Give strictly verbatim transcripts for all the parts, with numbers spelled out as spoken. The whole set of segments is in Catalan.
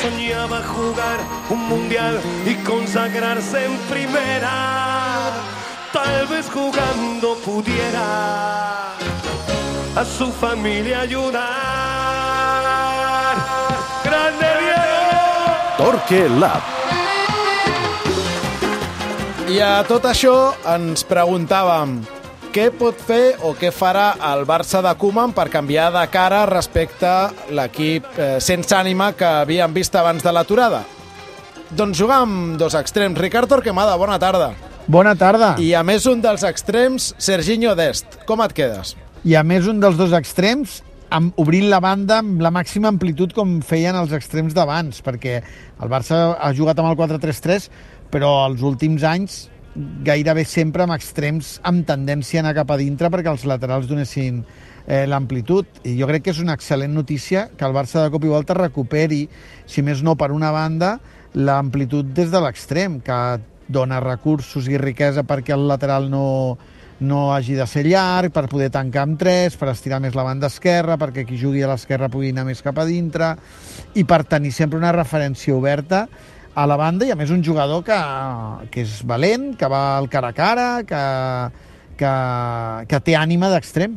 soñaba jugar un mundial y consagrarse en primera. Tal vez jugando pudiera a su familia ayudar. ¡Grande Diego! Torque Lab. I a tot això ens preguntàvem què pot fer o què farà el Barça de Koeman per canviar de cara respecte a l'equip eh, sense ànima que havíem vist abans de l'aturada. Doncs jugar amb dos extrems. Ricard Torquemada, bona tarda. Bona tarda. I a més un dels extrems, Serginho Dest. Com et quedes? I a més un dels dos extrems, amb, obrint la banda amb la màxima amplitud com feien els extrems d'abans, perquè el Barça ha jugat amb el quatre tres tres, però els últims anys gairebé sempre amb extrems amb tendència a anar cap a dintre perquè els laterals donessin eh, l'amplitud. I jo crec que és una excel·lent notícia que el Barça de cop i volta recuperi, si més no per una banda, l'amplitud des de l'extrem, que dona recursos i riquesa perquè el lateral no, no hagi de ser llarg, per poder tancar amb tres, per estirar més la banda esquerra, perquè qui jugui a l'esquerra pugui anar més cap a dintre, i per tenir sempre una referència oberta a la banda, i a més un jugador que, que és valent, que va al cara a cara, que, que, que té ànima d'extrem.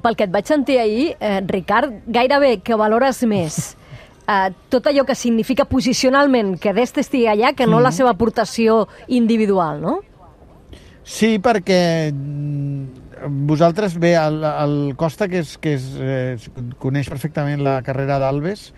Pel que et vaig sentir ahir, eh, Ricard, gairebé que valores més eh, tot allò que significa posicionalment que Dest estigui allà que no mm. la seva aportació individual, no? Sí, perquè vosaltres, bé, el, el Costa, que, és, que és, eh, coneix perfectament la carrera d'Alves,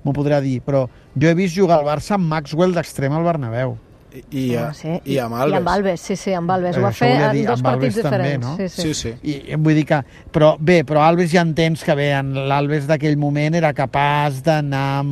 m'ho podrà dir, però jo he vist jugar al Barça amb Maxwell d'extrem al Bernabéu. I, i, ah, sí. i amb Alves. I amb Alves, sí, sí, amb Alves. Ho va fer en dos partits diferents. També, no? Sí, sí. sí, sí. I, vull dir que, però bé, però Alves ja entens que bé, l'Alves d'aquell moment era capaç d'anar,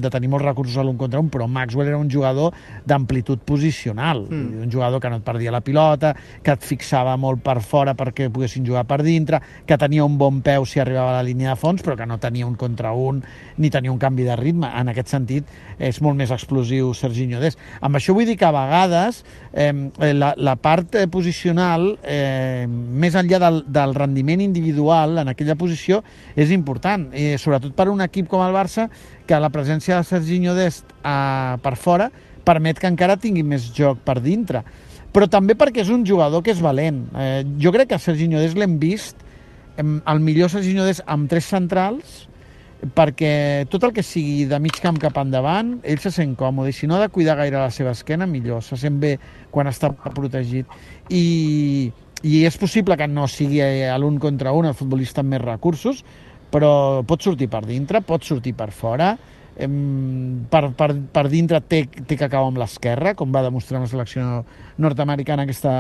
de tenir molts recursos a l'un contra un, però Maxwell era un jugador d'amplitud posicional, mm. un jugador que no et perdia la pilota, que et fixava molt per fora perquè poguessin jugar per dintre, que tenia un bon peu si arribava a la línia de fons, però que no tenia un contra un ni tenia un canvi de ritme. En aquest sentit, és molt més explosiu Serginho Dest. Amb això vull dir que a vegades eh, la, la part eh, posicional, eh, més enllà del, del rendiment individual en aquella posició, és important, eh, sobretot per un equip com el Barça, que la presència de Serginho Dest eh, per fora permet que encara tingui més joc per dintre. Però també perquè és un jugador que és valent. Eh, jo crec que a Serginho Dest l'hem vist, eh, el millor Serginho Dest amb tres centrals, perquè tot el que sigui de mig camp cap endavant, ell se sent còmode, i si no ha de cuidar gaire la seva esquena, millor, se sent bé quan està protegit. I, i és possible que no sigui a l'un contra un el futbolista amb més recursos, però pot sortir per dintre, pot sortir per fora, per, per, per dintre té, té que acabar amb l'esquerra, com va demostrar amb la selecció nord-americana aquesta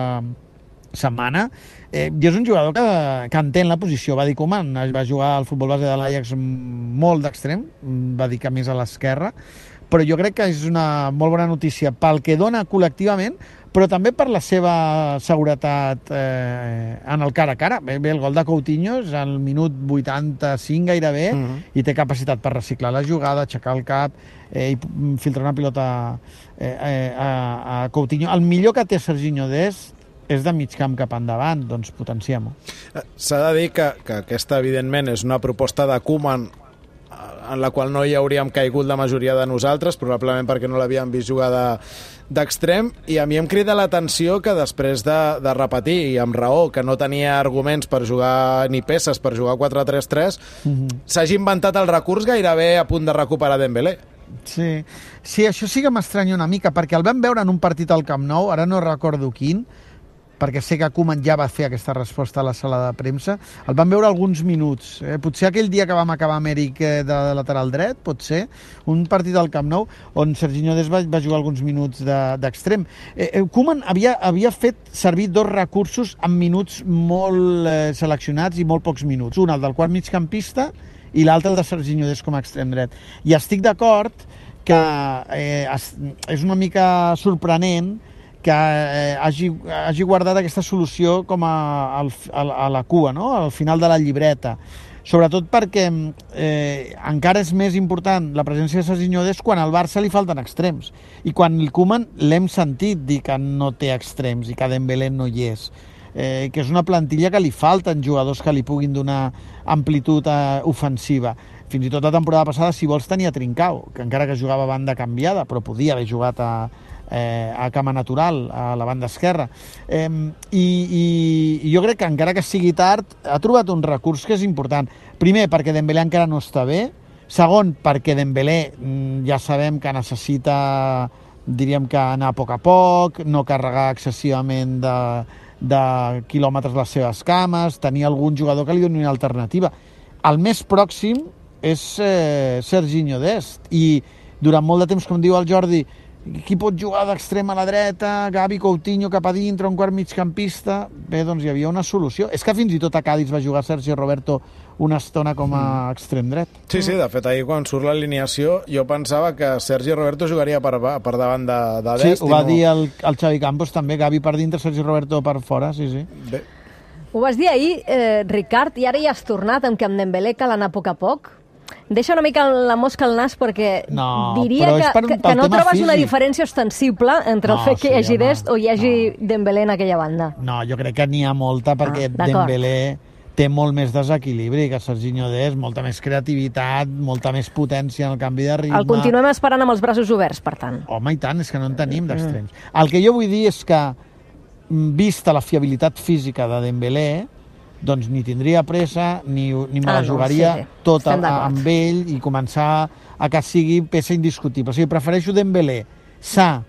setmana, eh, i és un jugador que, que entén la posició. Va dir Koeman, va jugar al futbol base de l'Ajax molt d'extrem, va dir que més a l'esquerra, però jo crec que és una molt bona notícia pel que dona col·lectivament, però també per la seva seguretat eh, en el cara a cara. Bé, bé, el gol de Coutinho és al minut vuitanta-cinc gairebé, uh-huh. i té capacitat per reciclar la jugada, aixecar el cap eh, i filtrar una pilota eh, eh, a, a Coutinho. El millor que té Serginho Dest és de mig camp cap endavant, doncs potenciem-ho. S'ha de dir que, que aquesta, evidentment, és una proposta de Koeman en la qual no hi hauríem caigut la majoria de nosaltres, probablement perquè no l'havíem vist jugar de, d'extrem, i a mi em crida l'atenció que després de, de repetir, i amb raó, que no tenia arguments per jugar ni peces per jugar quatre tres tres, mm-hmm. s'hagi inventat el recurs gairebé a punt de recuperar Dembélé. Sí, sí, això sí que m'estranya una mica, perquè el vam veure en un partit al Camp Nou, ara no recordo quin, perquè sé que Koeman ja va fer aquesta resposta a la sala de premsa. El vam veure alguns minuts. Eh? Potser aquell dia que vam acabar amb Eric eh, de lateral dret, pot ser, un partit al Camp Nou on Serginho Dest va, va jugar alguns minuts d'extrem. De, eh, Koeman havia, havia fet servir dos recursos en minuts molt eh, seleccionats i molt pocs minuts. Un, el del quart migcampista, i l'altre, el de Serginho Dest com a extrem dret. I estic d'acord que eh, es, és una mica sorprenent que eh, hagi, hagi guardat aquesta solució com a, a, a la cua, no? Al final de la llibreta. Sobretot perquè eh, encara és més important la presència de Serginho Dest quan al Barça li falten extrems. I quan el Koeman l'hem sentit dir que no té extrems i que Dembélé no hi és. Eh, que és una plantilla que li falten jugadors que li puguin donar amplitud eh, ofensiva. fins i tot la temporada passada, si vols, tenia Trincao, que encara que jugava a banda canviada, però podia haver jugat a, eh, a cama natural, a la banda esquerra. Eh, i, i, I jo crec que encara que sigui tard, ha trobat un recurs que és important. Primer, perquè Dembélé encara no està bé. Segon, perquè Dembélé ja sabem que necessita, diríem que anar a poc a poc, no carregar excessivament de, de quilòmetres les seves cames, tenir algun jugador que li doni una alternativa. El més pròxim és eh, Serginho Dest, i durant molt de temps, com diu el Jordi, qui pot jugar d'extrem a la dreta, Gavi, Coutinho cap a dintre, un quart migcampista. Bé, doncs hi havia una solució. És que fins i tot a Cádiz va jugar Sergi Roberto una estona com a mm. extrem dret. Sí, sí, de fet, ahir quan surt l'alineació jo pensava que Sergi Roberto jugaria per, per davant de, de Dest. Sí, ho va no... dir el, el Xavi Campos també, Gavi per dintre, Sergi Roberto per fora, sí, sí. Bé. Ho vas dir ahir, eh, Ricard, i ara ja has tornat amb que amb Dembélé cal anar a poc a poc. Deixa una mica la mosca al nas perquè no, diria que, per, que, que no trobes físic. una diferència ostensible entre no, el fet que hi hagi sí, Dest o hi hagi no. Dembélé en aquella banda. No, jo crec que n'hi ha molta perquè ah, Dembélé té molt més desequilibri que Serginho Dest, molta més creativitat, molta més potència en el canvi de ritme. El continuem esperant amb els braços oberts, per tant. Home, i tant, és que no en tenim d'extrems. Mm. El que jo vull dir és que, vista la fiabilitat física de Dembélé, doncs ni tindria pressa, ni, ni me ah, la jugaria no, sí, sí. tota amb ell i començar a que sigui peça indiscutible. O sigui, prefereixo Dembélé sa,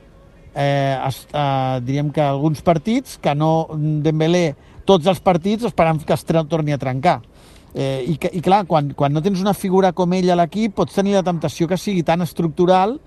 eh, eh, diríem que alguns partits, que no Dembélé tots els partits esperant que es torni a trencar. Eh, i, que, I clar, quan, quan no tens una figura com ell a l'equip, pots tenir la temptació que sigui tan estructural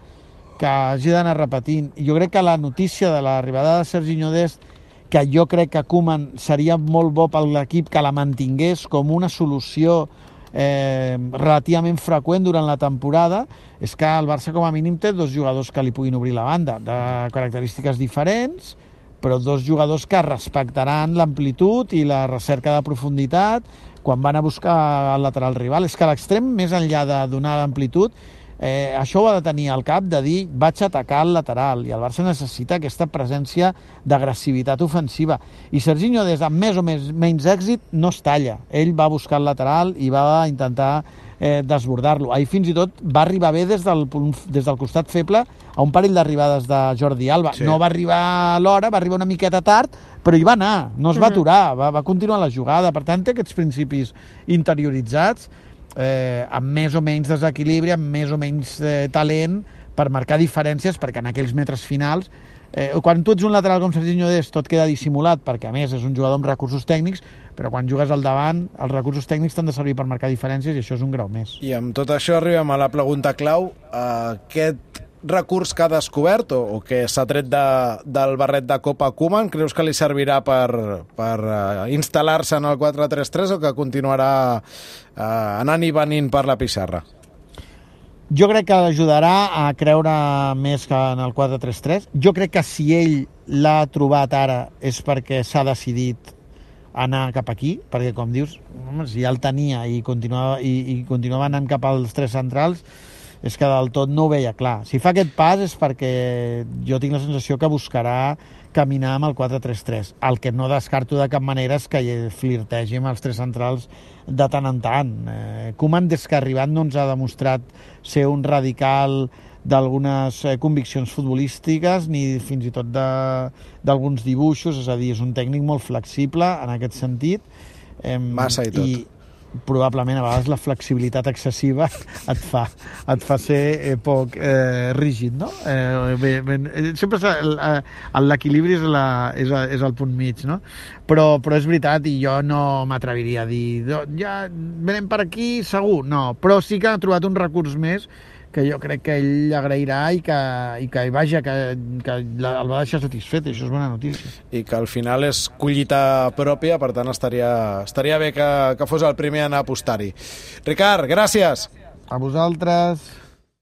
que hagi d'anar repetint. I jo crec que la notícia de l'arribada de Serginho Dest, que jo crec que Koeman seria molt bo per l'equip que la mantingués com una solució eh, relativament freqüent durant la temporada, és que el Barça com a mínim té dos jugadors que li puguin obrir la banda, de característiques diferents, però dos jugadors que respectaran l'amplitud i la recerca de profunditat quan van a buscar el lateral rival. És que a l'extrem, més enllà de donar l'amplitud, Eh, això ho ha de tenir al cap, de dir vaig atacar el lateral, i el Barça necessita aquesta presència d'agressivitat ofensiva, i Serginho des de més o més, menys èxit no es talla, ell va buscar el lateral i va intentar eh, desbordar-lo. Ahir fins i tot va arribar bé des del, des del costat feble a un parell d'arribades de Jordi Alba, sí. No va arribar a l'hora, va arribar una miqueta tard, però hi va anar, no es va aturar, va, va continuar la jugada. Per tant, té aquests principis interioritzats, Eh, amb més o menys desequilibri, amb més o menys eh, talent per marcar diferències, perquè en aquells metres finals, eh, quan tu ets un lateral com Serginho Dest, tot queda dissimulat, perquè a més és un jugador amb recursos tècnics, però quan jugues al davant, els recursos tècnics t'han de servir per marcar diferències, i això és un grau més. I amb tot això arribem a la pregunta clau. Uh, aquest recurs que ha descobert o, o que s'ha tret de, del barret de Copa Koeman, creus que li servirà per, per uh, instal·lar-se en el quatre tres tres o que continuarà uh, anant i venint per la pissarra? Jo crec que l'ajudarà a creure més que en el quatre tres tres. Jo crec que si ell l'ha trobat ara és perquè s'ha decidit anar cap aquí, perquè com dius, si ja el tenia i continuava, i, i continuava anant cap als tres centrals, és que del tot no ho veia clar. Si fa aquest pas és perquè jo tinc la sensació que buscarà caminar amb el quatre tres tres. El que no descarto de cap manera és que flirtegi amb els tres centrals de tant en tant. Eh, Koeman, des que ha arribat, no ens ha demostrat ser un radical d'algunes eh, conviccions futbolístiques ni fins i tot d'alguns dibuixos, és a dir, és un tècnic molt flexible en aquest sentit. Eh, Massa i tot. I probablement a vegades la flexibilitat excessiva et fa, et fa ser eh, poc eh, rígid, no? Eh, bé, ben, sempre l'equilibri és, la, és, és el punt mig, no? Però, però és veritat, i jo no m'atreviria a dir ja venem per aquí segur, no, però sí que ha trobat un recurs més que jo crec que ell agrairà i que, i que vaja, que, que el va deixar satisfet, això és bona notícia. I que al final és collita pròpia, per tant estaria, estaria bé que, que fos el primer a anar a apostar-hi. Ricard, gràcies! A vosaltres!